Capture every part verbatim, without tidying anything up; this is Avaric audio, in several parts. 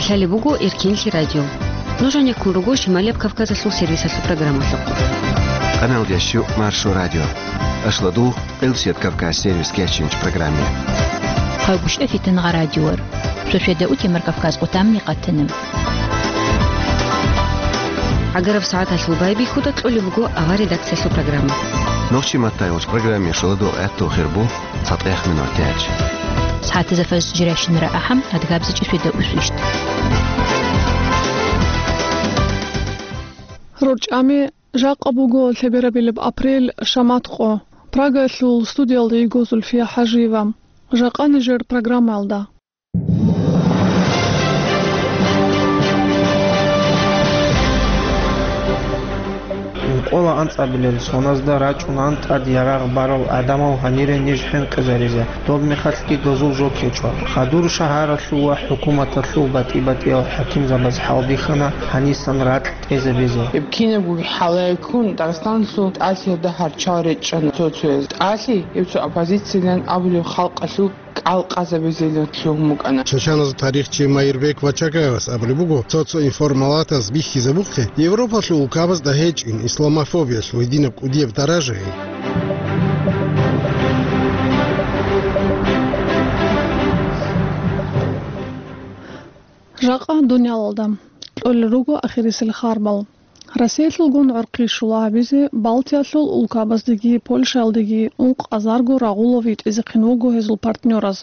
Лъалеб буго Эркенлъи радио. Нуж гьанеккун руго Шималияб Кавказалъул сервисалъул программалъухъ. Къаналдящу Маршо радио. Ашладул Къилсият Кавказ сервис кечинч программе. Гьавгушта фитангъа радиор. Шошеда утемар Кавказ къутамни къатанам. Агараб сагӀаталъул байбихьуда кьолеб буго авар редакциялъул программа. Нохчи маттайгъуч программе шоладул гӀаттул хирбу. ЦатӀехъ минутач. СагӀатазда фажр жиращинара ахӀам, адгабзичӀи шведа усвищт. РорчӀами, жакъа буго лъеберабилеб апрель, шамат къо. Прагаялъул студиялда йиго Зульфия ХӀажиева. Жакъа нижер программаялда. Ункъола анцӀабилел соназда рачӀунан тӀад ярагъ барал гӀадамал гьанире ниж хӀинкъизаризе, доб мехалъги дозул жо ккечӀо. Хадур шагьаралъул ва хӀукуматалъул батӀи-батӀиял хӀакимзабаз хӀалбихьана гьанисан ракь тӀезабизе. Гьеб кинабго хӀалаялъ ккун Дагъистаналъул тӀалъиялда гьарчал речӀчӀана цо-цояз. ТӀалъи гьеб цо оппозициялъан абулеб халкъалъул кӀал къазабизелан лъугьун букӀана. Чачаназул тарихчи Майрбек Вачагаевас абулеб буго, цо-цо информалатаз бихьизабухъе, Европалъул улкабазда гьечӀин исламофобиялъ гьединаб кӀудияб даражаялъ. Жакъа дуниялалда кьолел руго ахирисел харбал. Россиялъулгун гӀорхъи щула гьабизе Балтиялъул улкабаздеги Польшаялдеги ункъазарго рагъулав йитӀизехъин вуго гьезул партнёраз,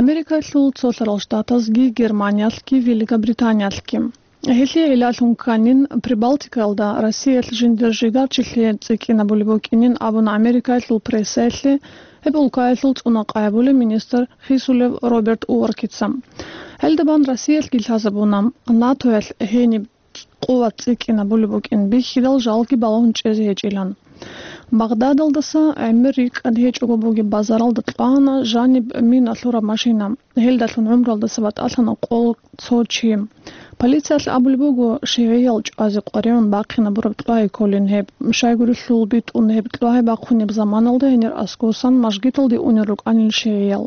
Америкаялъул Цолъарал Штатазги, Германиялъги, Великобританиялъги. Гьелъие гӀиллалъун кканин, Прибалтикаялда Россиялъ жиндир жигарчилъи цӀикӀкӀинабулеб букӀинин абуна Америкаялъул прессаялъе гьеб улкаялъул цӀунакъай абулеб министр Хисулев Роберт Уоркица. Гьелда бан Россиялъги лъазабуна, НАТОялъ гьениб къуват цӀикӀкӀинабулеб букӀин бихьидал жалги балагьун чӀезе гьечӀилан. Багъдадалдаса гӀемер рикӀкӀад гьечӀого бугеб базаралда кьвана жаниб мина лъураб машина. Гьелдалъун гӀумруялдаса батӀалъана къол цо чи. Полициялъ абулеб буго, шигӀиял чӀвазе къваригӀун бахъинабураб кьвагьи кколин гьеб. Щайгурелъул битӀун гьеб кьвагьи бахъунеб заманалда гьенир аскосан мажгиталде унел рукӀанин шигӀиял.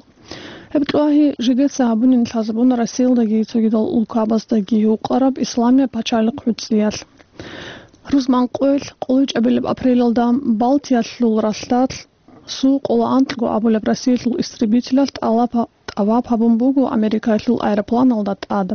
Гьеб кьвагьи жидеца гьабунин лъазабуна Россиялдаги цогидал улкабаздаги гьукъараб Исламияб пачалихъ гӀуцӀиялъ. Рузман къоялъ къоло чӀабилеб апрелалда Балтиялъул ралъдалъ Су къоло анкьго абулеб Россиялъул истребителалъ тӀалаб-, тӀаваб гьабун буго Америкаялъул аэропланалда тӀад.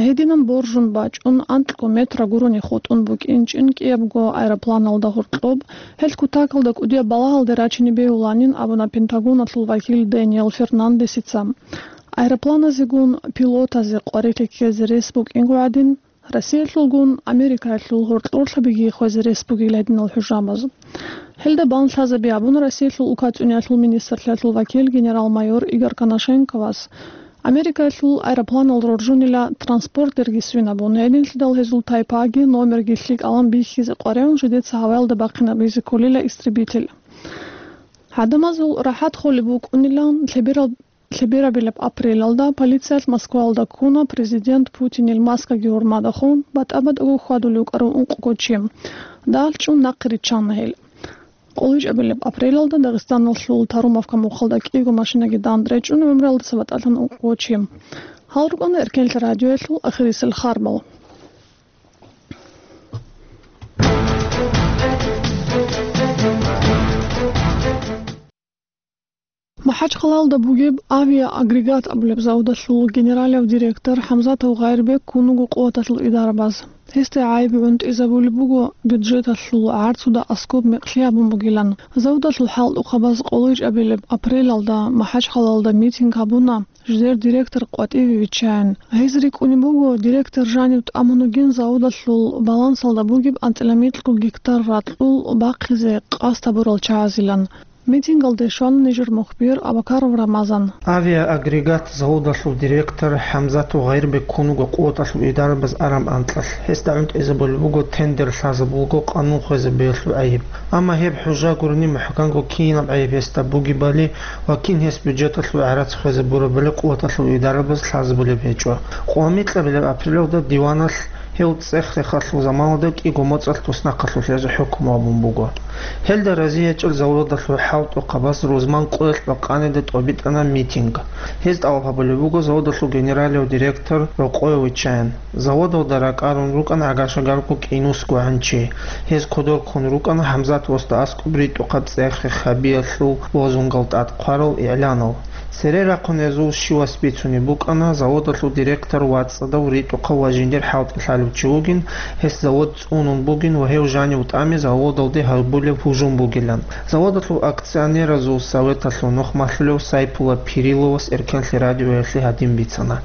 Гьединан боржун бачӀун, анкьго метра гурони хутӀун букӀинчӀин кӀиябго аэропланалда гьоркьоб, гьел кутакалда кӀудияб балагьалде рачине бегьуланин абуна Пентагоналъул вакил Дэниел Фернандесица. Аэропланазегун пилотазе къварилъи ккезе рес букӀинго гӀадин, Россиялъулгун Америкаялъул гьоркьорлъабиги хвезе рес бугил гьединал хӀужабаз. Гьелда бан лъазаби абуна Россиялъул улкацӀцӀуниялъул министрлъиялъул вакил генерал-майор Игорь Коношенковас. Америкаялъул аэропланал роржунила транспортерги свинабун, гьединлъидал гьезул тайпаги номерги лъикӀалан бихьизе къваригӀун жидеца гьаваялда бахъинабизе кколила истребитель. ГӀадамазул рахӀат холеб букӀунилан лъеберал Лъеберабилеб апрелалда полициялъ Москваялда ккуна президент Путинил маскаги гьурмадахун, батӀа-батӀаго хьвадулев кӀарун ункъго чи. Дагьалъ чӀун нахъе риччана гьел. КъолечӀабилеб апрелалда Дагъистаналъул Тарумовка мухъалда кӀиго машинаги дандреги чӀун гӀумруялдаса батӀалъана ункъго чи. Гьал рукӀана Эркенлъи радиоялъул ахирисел харбал. МахӀачхъалалда бугеб «Авиаагрегат» абулеб заводалъул генералав директор ХӀамзатов Гъайрбек ккун вуго къуваталъул идарабаз. Гьесда гӀайиб гӀунтӀизабулеб буго бюджеталъул гӀарцуда аскӀоб мекълъи гьабун бугилан. Заводалъул хӀалтӀухъабаз къоло чӀабилеб апрелалда МахӀачхъалалда митинг гьабуна, жидер директор къватӀиве виччаян. Гьез рикӀкӀунеб буго, директор жанив тӀамун вугин заводалъул балансалда бугеб анцӀила микьго гектар ракьул бахъизе къасд гьабурал чагӀазилан. Митингалде щвана нижер мухбир Абакаров Рамазан. «Авиаагрегат» заводалъул директор ХӀамзатов Гъайрбек ккун вуго къуваталъул идарабаз араб анкьалъ. Гьесда гӀунтӀизабулеб буго тендер лъазабулго къанун хвезабиялъул гӀайиб. Амма гьеб хӀужа гурони мухӀканго кинаб гӀайиб гьесда бугебали ва кин гьес бюджеталъул гӀарац хвезабурабали къуваталъул идарабаз лъазабулеб гьечӀо. Къо микьабилеб апрелалда диваналъ Гьев цӀех-рехалъул заманалда кӀиго моцӀалъ туснахъалъулъ гьезул хӀукму гьабун буго. Гьелда разиячӀел заводалъул хӀалтӀухъабаз рузман къоялъ бакъанида тӀобитӀана митинг. Гьез тӀалаб гьабулеб буго заводалъул генералияв директор Рокъое виччаян. Заводалда ракӀарун рукӀана гӀагашагарго кӀинусгогӀан чи. Гьез кодор ккун рукӀана ХӀамзат восда аскӀоб ритӀухъаб цӀех-рехабиялъул лозунгал тӀад хъварал игӀланал. Цере рахъун гьезул щивас бицунеб букӀана заводалъул директор вацӀцӀадав ритӀухъав ва жиндир хӀалтӀи лъалев чи вугин, гьес завод цӀунун бугин ва гьев жанив тӀаме заводалде гьабулеб гьужум бугилан. Заводалъул акционеразул советалъул нух малъулев Сайпула Пириловас Эркенлъи радиоялъе гьадин бицана.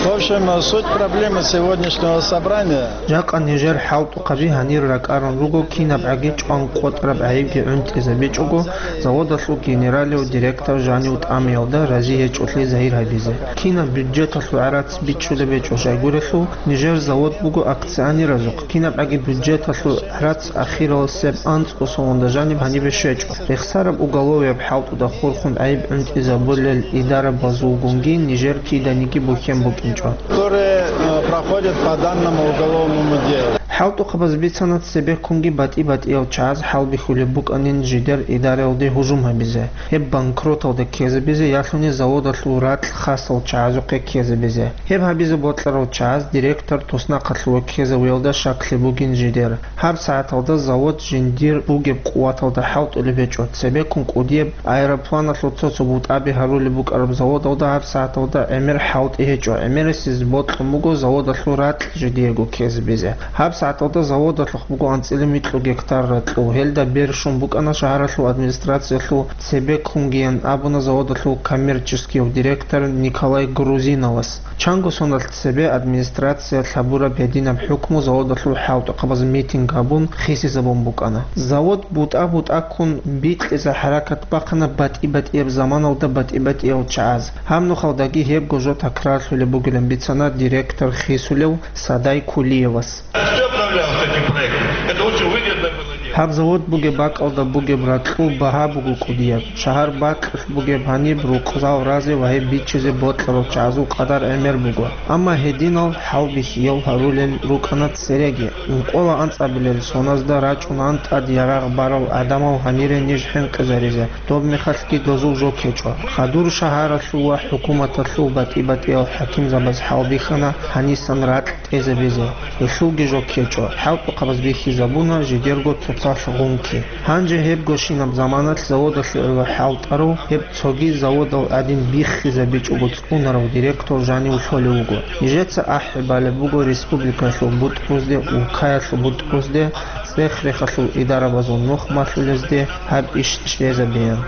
В общем, суть проблемы сегодняшнего собрания. Жакъа нижер хӀалтӀухъаби гьанир ракӀарун руго кинабгӀаги чӀван къотӀараб гӀайибги гӀунтӀизабичӀого, заводалъул генералияв директор жанив тӀамиялда рази гьечӀолъи загьир гьабизе. Кинаб бюджеталъул гӀарац бичӀчӀулеб гьечӀо щайгурелъул, нижер завод буго акционеразухъ, кинабгӀаги бюджеталъул гӀарац ахираласеб анцӀго салонда жаниб гьанибе щвечӀо. Рехсараб уголовияб хӀалтӀуда хурхун гӀайиб гӀунтӀизабулел идарабазулгунги нижер киданиги бухьен букӀинчӀо. Которые, э, проходят по данному уголовному делу. ХӀалтӀухъабаз бицана цебеккунги батӀи-батӀиял чагӀаз хӀалбихьулеб букӀанин жидер идараялде гьужум гьабизе, гьеб банкроталде ккезабизе, ялъуни заводалъул ракь хасал чагӀазухъе ккезабизе. Гьеб гьабизе бокьарал чагӀаз директор туснахъалъув ккезавиялда щаклъи бугин жидер. Гьаб сагӀаталда завод жиндир бугеб къуваталда хӀалтӀулеб гьечӀо, цебеккун кӀудияб аэропланалъул цо-цо бутӀаби гьарулеб букӀараб заводалда гьаб сагӀаталда гӀемер хӀалтӀи гьечӀо, гӀемерисез бокьун буго заводалъул ракь жидеего ккезабизе. Гьаб сагӀаталда заводалъухъ буго анцӀила микьго гектар ракьул, гьелда бер щун букӀана шагьаралъул администрациялъул цебеккунгиян абуна заводалъул коммерческияв директор Николай Грузиновас. Чанго соналъ цебе администрациялъ гьабураб гьединаб хӀукму заводалъул хӀалтӀухъабаз митинг гьабун хисизабун букӀана. Завод бутӀа-бутӀаккун бикьизе хӀаракат бахъана батӀи-батӀияб заманалда батӀи-батӀиял чагӀаз. Гьаб нухалдаги гьебго жо такрарлъулеб бугилан бицана директор хисулев Садай Кулиевас. Все управлялось этим проектом. Это очень выгодно было дело. Гьаб завод бугеб бакӀалда бугеб ракьул багьа буго кӀудияб. Шагьар бакьулъ бугеб гьаниб рукъзал разе ва гьеб биччизе бокьарал чагӀазул къадар гӀемер буго. Амма гьединал хӀалбихьиял гьарулел рукӀана цереги. Ункъола анцӀабилел соназда рачӀунаан тӀад ярагъ барал гӀадамал гьанире ниж хӀинкъизаризе, доб мехалъги дозул жо ккечӀо. Хадур шагьаралъул ва хӀукуматалъул батӀи-батӀиял хӀакимзабаз хӀалбихьана гьанисан ракь тӀезабизе, гьелъулги жо ккечӀо, хӀалтӀухъабаз бихьизабуна жидерго цоцалъ гъунки. Гьанже гьебгощинаб заманалъ заводалъе гӀоло хӀалтӀарав, гьеб цоги заводал гӀадин биххизабичӀого цӀунарав директор жанив лъолев вуго. Нижеца ахӀи балеб буго республикаялъул бутӀрузде, улкаялъул бутӀрузде, цӀех-рехалъул идарабазул нух малъулезде гьаб иш чӀезабеян.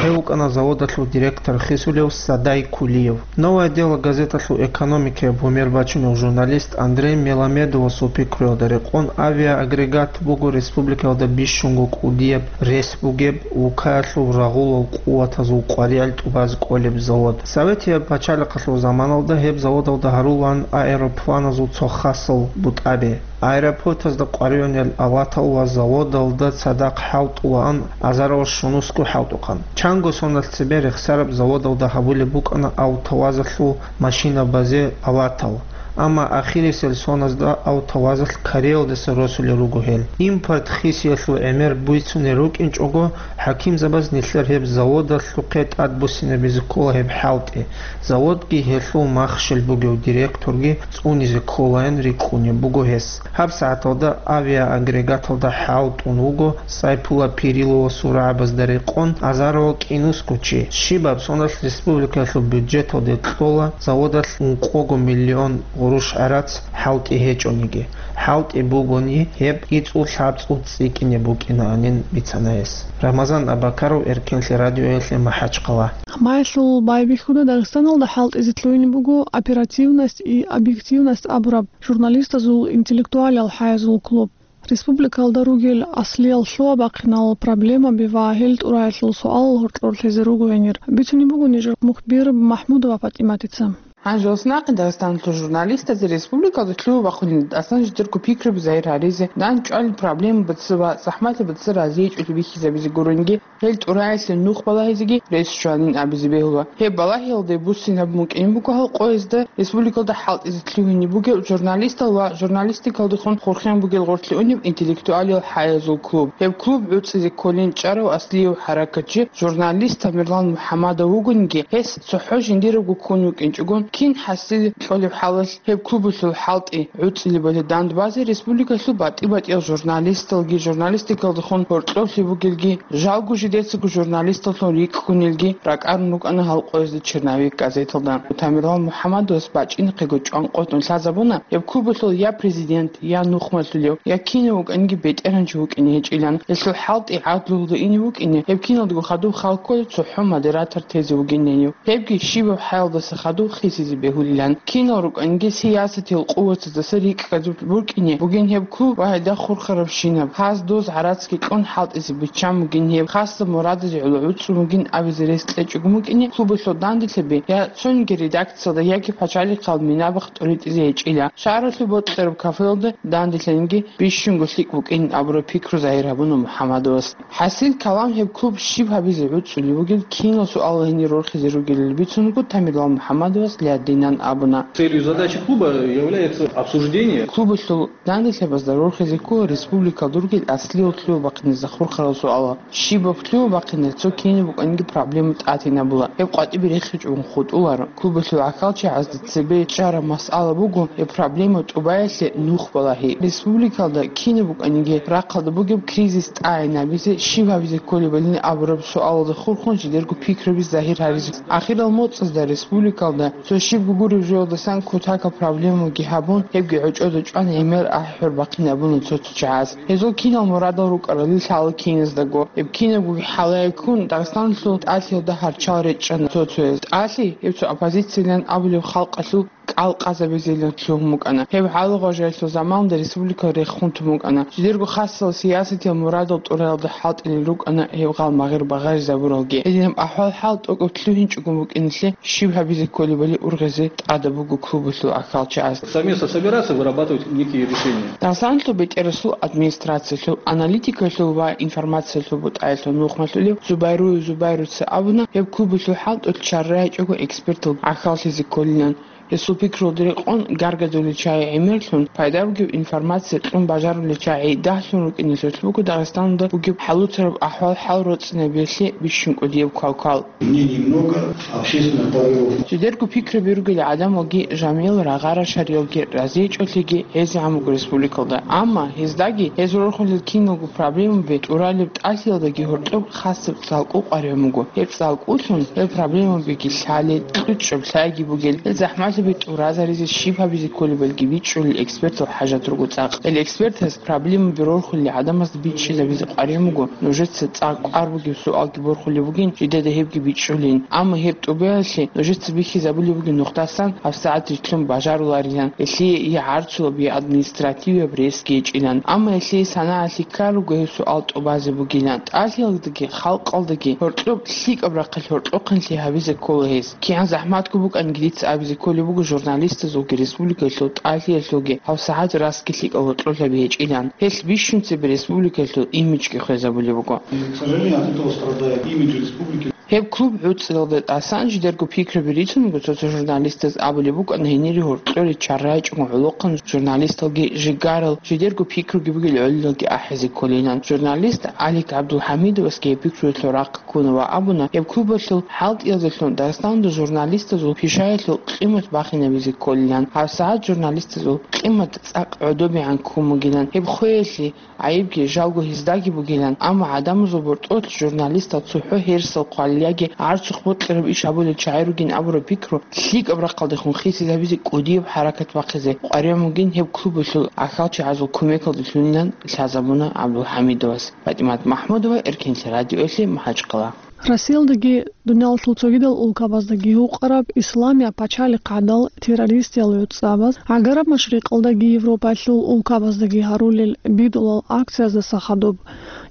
Гьев вукӀана заводалъул директор хисулев Садай Кулиев. «Новое дело» газеталъул экономикаяб гьумер бачунев журналист Андрей Меламедовасул пикруялда рекъон, авиаагрегат буго республикаялда бищунго кӀудияб рес бугеб, улкаялъул рагъулал къуватазул къваригӀел тӀубаз кӀолеб завод. Советияб пачалихъалъул заманалда гьеб заводалда гьарулаан аэропланазул цо хасал бутӀаби. Аэропортазда къваригӀунел аватал ва заводалда цадахъ хӀалтӀулаан азарал щунусго хӀалтӀухъан. Чанго соналъ цебе рехсараб заводалда гьабулеб букӀана автовазалъул машинабазе аватал. Амма ахирисел соназда автовазалъ Кореялдаса росулел руго гьел. Импорт хисиялъул гӀемер бицунел рукӀинчӀого, хӀакимзабаз нилъер гьеб заводалъухъе тӀадбуссинабизе ккола гьеб хӀалтӀи. Заводги гьелъул махщел бугев директорги цӀунизе кколаян рикӀкӀунеб буго гьес. Гьаб сагӀаталда авиаагрегаталда хӀалтӀун вуго Сайпула Пириловасул рагӀабазда рекъон азарал кӀинусго чи. Щибаб соналъ республикаялъул бюджеталде кьола заводалъ ункъого миллион гъурущ гӀарац хӀалтӀи гьечӀониги. ХӀалтӀи бугони, гьеб кӀицӀул-лъабцӀул цӀикӀкӀине букӀинаанин бицана гьес. Рамазан Абакаров, Эркенлъи радиоялъе, МахӀачхъала. Гьамаялъул байбихьуда Дагъистаналда хӀалтӀизе лъугьине буго оперативность и объективность абураб журналистазул интеллектуалиял хӀаязул клуб. Республикалда ругел аслиял лъугьа-бахъинал проблемаби ва гьел тӀураялъул суалал гьоркьорлъизе руго гьенир, бицунеб буго нижер мухбир МахӀмудова ПатӀиматица. Гьанже ос нахъе Дагъистаналъул журналистазе республикалда лъугьа-бахъунел тӀасан жидерго пикруби загьир гьаризе, дандчӀвалел проблемаби ва захӀмалъи бацӀцӀадаб разиячӀулъи бихьизабизе гурониги, гьел тӀураялъе нух балагьизеги рес щванин абизе бегьула. Гьеб балагьиялде буссинаб букӀин буго гьал къоязда республикалда хӀалтӀизе лъугьине бугеб журналистал ва журналистикалдехун хурхен бугел гъорлъе унеб интеллектуалиял хӀаязул клуб. Гьеб клуб гӀуцӀизе кколин чӀарав аслияв хӀаракатчи, журналист Тамерлан МухӀамадов вугониги, гьес цохӀо жиндирабго ккун вукӀинчӀогон, кин хӀасил кьолеб хӀалалъ гьеб клубалъул хӀалтӀи гӀуцӀилебали дандбазе республикалъул батӀи-батӀиял журналисталги, журналистикалдехун гьоркьоблъи бугелги, жалго жидецаго журналисталлъун рикӀкӀунелги ракӀарун рукӀана гьал къоязда «Черновик» газеталда. Тамерлан МухӀамадовас бачӀинахъего чӀванкъотӀун лъазабуна, гьеб клубалъул я президент, я нухмалъулев, я кинав вукӀаниги бетӀергьанчи вукӀине гьечӀилан. Гьелъул хӀалтӀи гӀадлуялда ине вукӀине, гьеб киналдаго хадуб хал кколеб цохӀо модератор тезе вугин гьенив. Гьебги щибаб хӀаялдаса хадуб хисизе бегьулилан. Кинал рукӀаниги сиясатиял къуватаздаса рикӀкӀадулеб букӀине бугин гьеб клуб ва гьелда хурхарабщинаб, гьаз доз гӀарацги кьун хӀалтӀизе биччан бугин гьеб, хасаб мурадазе гӀоло гӀуцӀун бугин абизе рес кьечӀого букӀине клубалъул данделъаби я цониги редакциялда, яги пачалихъал минабахъ тӀуритӀизе гьечӀила. Шагьаралъул бокьараб кафелалда данделъанги бищунго лъикӀ букӀин абураб пикру загьир гьабуна МухӀамадовас. ХӀасил калам гьеб клуб щиб гьабизе гӀуцӀулеб бугеб кинал суалал гьенир рорхизе ругелали бицун буго Тамерлан МухӀамадовас лъадинан абуна. Целью задачи клуба является обсуждение. Клубалъул данделъабазда рорхизе ккола республикалда ругел аслиял лъугьа-бахъиназда хурхарал суалал. Щибаб лъугьа-бахъинаб цо кинаб букӀаниги проблема тӀатинабула. Гьеб къватӀибе рехичӀого хутӀуларо. Клубалъул гӀахьалчагӀазда цебе чӀараб масъала буго гьеб проблема тӀубаялъе нух балагьи. Республикалда кинаб букӀаниги рахъалда бугеб кризис тӀагӀинабизе, щиб гьабизе кколебали абураб суалалда хурхун жидерго пикруби загьир гьаризе. Ахирал моцӀазда республикалда цо щибго гуреб жоялдасан кутакаб проблемаги гьабун, гьебги гӀочӀода чӀван гӀемер ахӀи-хӀур бахъинабуна цо-цо чагӀаз. Гьезул кинал мурадал рукӀарали лъала киназдаго. Гьеб кинабго хӀалае ккун, Дагъистаналъул тӀалъиялда гьарчал речӀчӀана цо-цояз. ТӀалъи гьеб цо оппозициялъан абулеб халкъалъул кӀал къазабизелин лъугьун букӀана. Гьеб гӀалагъважаялъул заманалда республика рехун тун букӀана. Жидерго хасал сиясатиял мурадал тӀураялда хӀалтӀилел рукӀана гьеб гъал магъир багъаризабуралги. Гьединаб ахӀвал-хӀал тӀокӀаб лъугьинчӀогун букӀиналъе щиб гьабизе кколебали ургъизе тӀадаб буго клубалъул гӀахьалчагӀаз. Совместно собираться, вырабатывать некие решения. Дагъистаналъул бетӀерасул администрациялъул аналитикалъул ва информациялъул бутӀаялъул нухмалъулев Зубайруев Зубайруца абуна, гьеб клубалъул хӀалтӀулъ чаррагӀичӀого экспертал гӀахьаллъизе кколилан. Гьесул пикрулда рекъон, гаргадулел чагӀи гӀемерлъун, пайда бугеб информация кьун бажарулел чагӀи дагьлъун рукӀиналъулъ буго Дагъистаналда бугеб хӀалуцараб ахӀвал-хӀал роцӀцӀинабиялъе бищун кӀудияб квалквал. Мнений много, общественных порывов. Жидерго пикруби ругел гӀадамалги, жамигӀал рагъа-рашариялги разичӀолъиги гӀезегӀан буго республикалда. Амма гьездаги, гьез рорхулел киналго проблемаби тӀуралеб тӀалъиялдаги гьоркьоб хасаб цӀалкӀу къваригӀун буго. Гьеб цӀалкӀулъун гьел проблемабиги лъалел, кьучӀаб лъайги бугел, гьел захӀмалъаби тӀуразаризе щиб гьабизе кколебалги бичӀчӀулел экспертал хӀажат руго цӀакъ. Гьел экспертаз проблемаби рорхулел гӀадамазда бичӀчӀизабизе къваригӀун буго, нужеца цӀакъ кӀвар бугеб суалги борхулеб бугин, жидеда гьебги бичӀчӀулин. Амма гьеб тӀубаялъе нужеца бихьизабулеб бугеб нухдасан гьабсагӀат рилълъун бажаруларилан, гьелъие я гӀарцулаб, я административияб ресги гьечӀилан. Амма гьелъие санагӀалъи ккар руго гьеб суал тӀубазе бугилан. ТӀалъиялдаги, халкъалдаги гьоркьоб лъикӀаб рахъалъ гьоркьохъанлъи гьабизе ккола гьез. КигӀан захӀматго букӀанги дица абизе кколеб буго журналистазулги республикалъул тӀалъиялъулги гьабсагӀат расги лъикӀал гьоркьолъаби гьечӀилан. Гьелъ бищун цебе республикалъул имиджги хвезабулеб буго. И, к сожалению, от этого страдает имидж республики. Гьеб клуб гӀуцӀиялда тӀасан жидерго пикруби рицун буго цо-цо журналистаз абулеб букӀана гьенире гьоркьоре чаррагӀичӀого гӀолохъан журналисталги жигарал, жидерго пикруги бугел гӀолилалги ахӀизе кколилан. Журналист Алик ГӀабдулхӀамидовасги гьеб пикруялъул рахъ ккуна ва абуна, гьеб клубалъул хӀалтӀиялдалъун Дагъистаналда журналистазул пишаялъул къимат бахинабизе кколилан. ГьабсагӀат журналистазул къимат цӀакъ гӀодобегӀан ккун бугилан. Гьеб хвеялъе гӀайибги жалго гьездаги бугилан, амма гӀадамазул бортӀолъ журналистал цохӀо гьерсал хъвалил яги гӀарцухъ бокьараб иш гьабулел чагӀи ругин абураб пикру лъикӀаб рахъалдехун хисизабизе кӀудияб хӀаракат бахъизе къваригӀун бугин гьеб клубалъул гӀахьалчагӀазул кумекалдалъунилан лъазабуна ГӀабдулхӀамидовас. ПатӀимат МахӀмудова, Эркенлъи радиоялъе, МахӀачкъала. Россиялдаги дуниялалъул цогидал улкабаздаги гьукъараб исламияб пачалихъ гӀадал террористиял гӀуцӀабаз, гӀагараб машрикъалдаги Европаялъул улкабаздаги гьарулел бидулал акцияздаса хадуб,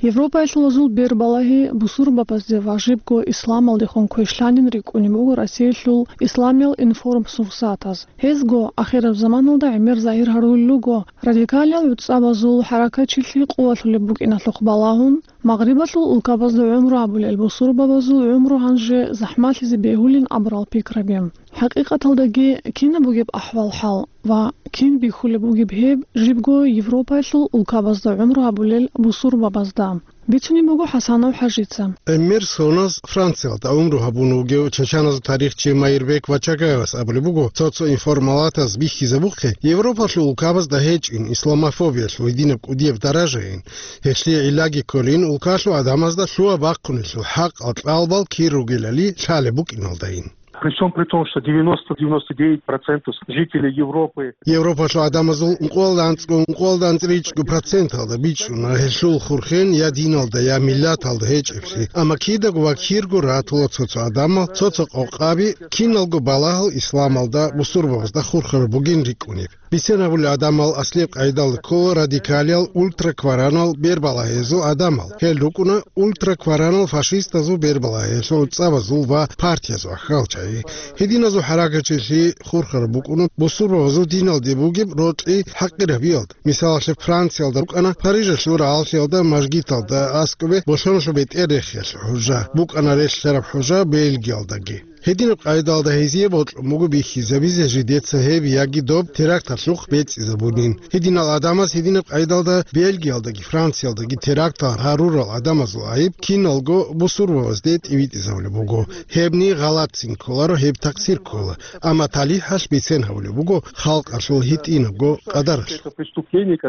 Европаялъул азул бербалагьи бусурбабазде ва жибго исламалдехун квешлъанин рикӀкӀунеб буго Россиялъул исламиял информсурсатаз. Гьезго ахираб заманалда гӀемер загьир гьарулел руго радикалиял гӀуцӀабазул хӀаракатчилъи къувалъулеб букӀиналъухъ балагьун, Магърибалъул улкабазда гӀумру гьабулел бусурбабазул гӀумру гьанже захӀмалъизе бегьулин абурал пикраби. ХӀакъикъаталдаги кинаб бугеб ахӀвал-хӀал ва кин бихьулеб бугеб гьеб жибго Европаялъул улкабазда гӀумру гьабулел бусурбабазда? Бицунеб буго ХӀасанов ХӀажица. ГӀемер соназ Франциялда гӀумру гьабун вугев чачаназул тарихчи Майрбек Вачагаевас абулеб буго, цо-цо информалатаз бихьизабухъе, Европалъул улкабазда гьечӀин исламофобиялъул гьединаб кӀудияб даражайин, гьелъие гӀиллаги кколин улкалъул гӀадамазда лъугьа-бахъунелъул хӀакъал кьалбал кир ругелали лъалеб букӀиналдайин. При всем при том, что девяносто-девяносто девять процентов жителей Европы Европалъул гӀадамазул ункъоялда анцӀго, ункъоялда анцӀричӀго проценталда бичӀчӀуна гьелъул хурхен я диналда, я миллаталда гьечӀеблъи. Амма кидаго ва кирго ратула цо-цо гӀадамал, цо-цо къокъаби, киналго балагьал исламалда, бусурбабазда хурхараб бугин рикӀкӀунеб. Бицен гьабулел гӀадамал аслияб къайдалда ккола радикалиял, ультракваранал бербалагьезул гӀадамал. Гьел рукӀуна ультракваранал фашистазул бербалагьелъул гӀуцӀабазул ва партиязул ахӀалчагӀи. Гьединазул хӀаракатчилъи хурхараб букӀуна бусурбабазул диналде бугеб рокьи хӀакъирабиялда. Мисалалъе, Франциялда рукӀана Парижалъул рагӀаллъиялда мажгиталда аскӀобе болъоналъул бетӀер рехиялъул хӀужа, букӀана релълъараб хӀужа Бельгиялдаги. Гьединаб къайдалда гьезие бокьун буго бихьизабизе жидеца гьеб яги доб теракталъухъ бецӀизабунин. Гьединал гӀадамаз гьединаб къайдалда Бельгиялдаги Франциялдаги терактал гьарурал гӀадамазул гӀайиб киналго бусурбабазде тӀибитӀизабулеб буго. Гьебни гъалатцин кколаро, гьеб такъсир ккола. Амма талихӀалъ бицен гьабулеб буго халкъалъул гьитӀинабго къадаралъ.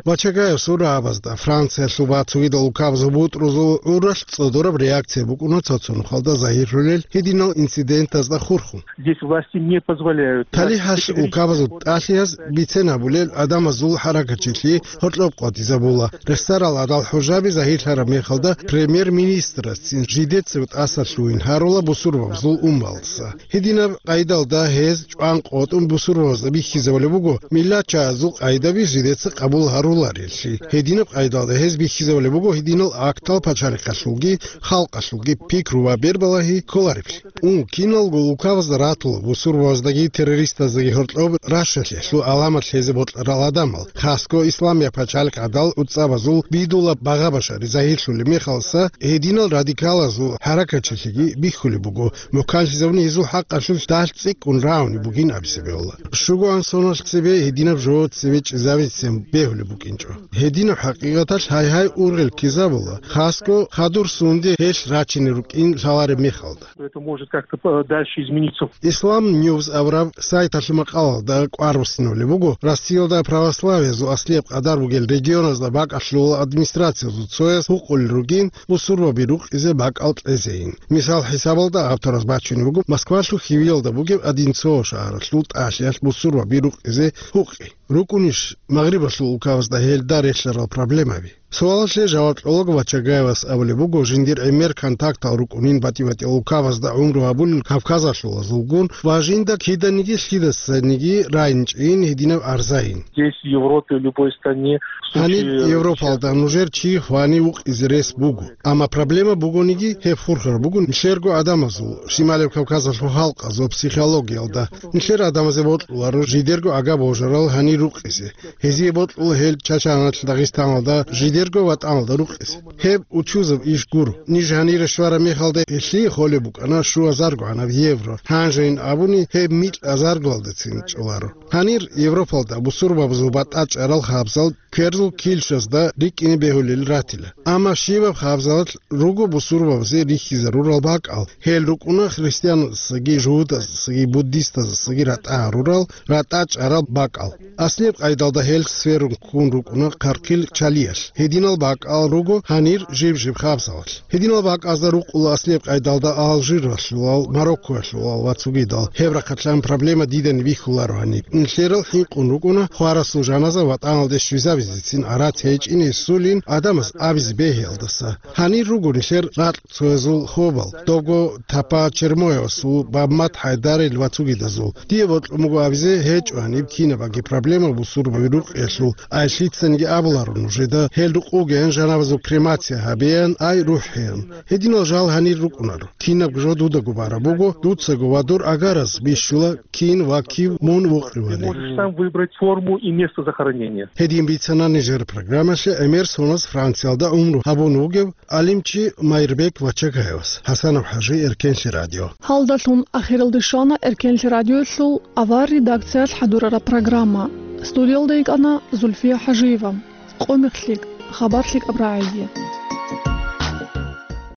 Вачагаев сурабазда Франциялъул ва цогидал улкабазул бутӀрузул гӀуралъ цӀодораб реакция букӀуна цо-цо нухалда загьирлъулел гьединал инцидентазда хурхун. Здесь власти не позволяют. ТалихӀалъ улкабазул тӀалъияз бицен гьабулел гӀадамазул хӀаракатчилъи гьоркьоб къватӀизабула. Рехсарал гӀадал хӀужаби загьирлъараб мехалда премьер-министрасцин жидецав тӀасалъугьин гьарула бусурбабазул уммалдаса. Гьединаб къайдалда гьез чӀван къотӀун бусурбабазда бихьизабулеб буго миллатчагӀазул къайдаби жидеца къабул гьарулареллъи. Гьединаб къайдалда гьез бихьизабулеб буго гьединал актал пачалихъалъулги халкъалъулги пикру ва бербалагьи кколареблъи. Ун, киналго улкабазда ратула бусурбабаздаги террористаздаги гьоркьоб рашалъелъул гӀаламат лъезе бокьарал гӀадамал, хасго исламияб пачалихъ гӀадал гӀуцӀабазул бидула багъа-башари загьирлъулеб мехалса, гьединал радикалазул хӀаракатчилъиги бихьулеб буго, мухӀканлъизабуни гьезул хӀакъалъулъ дагь цӀикӀкӀун рагӀунеб бугин абизе бегьула. Щуго анлънал цебе гьединаб жо цебе чӀезабицин бегьулеб букӀинчӀо. Гьединаб хӀакъикъаталъ гьай-гьай ургъел ккезабула, хасго хадур сунде гьелъ рачине рукӀин лъалареб мехалда. Это может как-то по-, дальше измениться. Ислам Ньюз абураб сайталъул макъалалда кӀвар буссиналъе буго, Россиялда православиязул аслияб къадар бугел регионазда бакӀалъул администрациязул цояс гьукъулел ругин бусурбаби рукъизе бакӀал кьезейин. Мисал хӀисабалда авторас бачунеб буго Москвалъул хьивиялда бугеб Одинцово шагьаралъул тӀалъиялъ бусурбаби рукъизе гьукъи. РукӀунищ Магърибалъул улкабазда гьелда релълъарал проблемаби? Суалалъе жаваб кьолаго Вачагаевас абулеб буго, жиндир гӀемер контактал рукӀунин батӀи-батӀиял улкабазда гӀумру гьабулел кавказалъулазулгун ва жинда киданиги лъидасаниги райинчӀейин гьединаб арзайин. Здесь, в Европе, в любой стране, в Гьаниб случае Европалда сейчас нужер чи хвани вукъизе рес буго. Амма проблема бугониги, гьеб хурхар буго нилъерго гӀадамазул, Шималев Кавказалъул халкъазул психологиялда. Нилъер гӀадамазе бокьуларо жидерго агаб божарал гьанир рукъизе. Гьезие бокьула гьел Чачаналъ, Дагъистаналда, жидерго ватӀаналда рукъизе. Гьеб учузаб иш гуро. Ниж гьанире щвараб мехалда гьелъие холеб букӀана щуазаргогӀанаб евро. Гьанжейин абуни, гьеб микьазаргоялдацин чӀоларо. Гьанир Европалда бусурбабазул батӀа чӀарал хабзал кверзул килщазда рикӀкӀине бегьулел ратила. Амма щибаб хабзалалъ руго бусурбабазе рихьизарурал бакӀал, гьел рукӀуна христианасдаги, жугьутӀасдаги, буддистасдаги ратӀа гьарурал, ратӀа чӀарал бакӀал. Аслияб къайдалда гьел сверун ккун рукӀуна хъархъил чалиялъ. Гьединал бакӀал руго гьанир жиб-жиб хабзалалъ. Гьединал бакӀазда рукъула аслияб къайдалда Алжиралъулал, Мароккоялъулал ва цогидал. Гьеб рахъалъан проблема дидани бихьуларо гьаниб. Нилъерал хӀинкъун рукӀуна хварасул жаназа ватӀаналде щвезабизецин гӀарац гьечӀин гьесулин гӀадамаз абизе бегьиялдаса. Гьанир руго нилъер ракь цоязул хобал, добго Тапа Чермоевасул, Баммат ХӀайдарил ва цогидазул. Дие бокьун буго абизе гьечӀо гьаниб кинабаги проблема. Амма бусурбаби рукъиялъул ай лъицаниги абуларо нужеда, гьел рукъ вугеян жаназаялъул кремация гьабеян, ай рухӀеян. Гьединал жал гьанир рукӀунаро. Кинабго жо дудаго бараб буго, дуцаго ва дур агараз бищула кин ва кив мун вукъивали. Ты можешь сам выбрать форму и место захоронения. Гьедин бицана нижер программалъе гӀемер соназ Франциялда гӀумру гьабун вугев гӀалимчи Майрбек Вачагаевас. ХӀасанов ХӀажи, Эркенлъи радио. Гьалдалъун ахиралде щвана Эркенлъи радиоялъул авар редакциялъ хӀадурараб программа. Студиялда йикӀана Зульфия ХӀажиева. Къо мехлъи, хабар лъикӀаб рагӀиги.